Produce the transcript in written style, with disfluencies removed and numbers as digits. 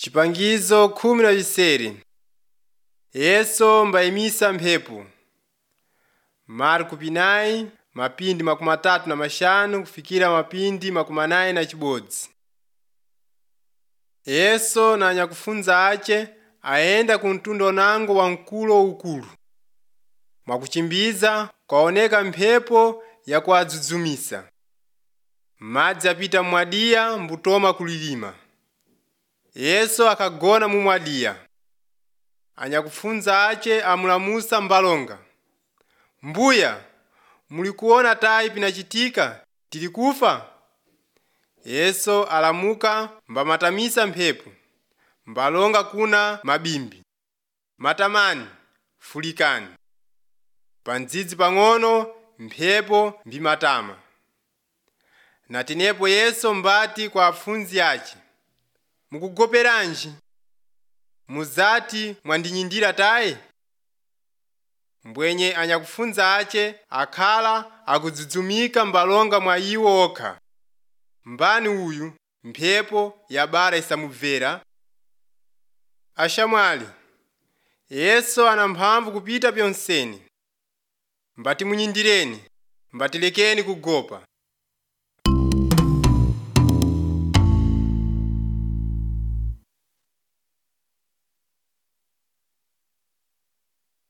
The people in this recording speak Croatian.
Chipangizo 10 Yesu mbayimisa mphepo. Marko 9 mapindi 35 kufikira mapindi 41. Yesu na anyakufunza ache aenda ku mtunda onango wa mkulo ukulu. Mwakuchimbiza kwaoneka mphepo ya kuadzuzumisa. Madzi apita mwadiya mbutoma kulilima. Yesu akagona mumwadiya. Anyakufunza ache amulamusa mbalonga. Mbuya, mulikuona tayi pinachitika tili kufa? Yesu alamuka mbamatamisa mphepo. Mbalonga kuna mabimbi. Matamani, fulikani. Pandzidzi pang'ono mphepo mbimatama. Natinepo Yesu mbati kwa afunzi ache. Mukugoperanji? Muzati mwandinyindira tayi? Mbwenye anyakufunza ache akhala akudzudzumika mbalonga mwa iwo okha. Mbani uyu mphepo yabara isamubvera? Ashamwali, Yesu ana mphamvu kupita pyonseni. Mbati munyindireni, mbatilekeni kugopa.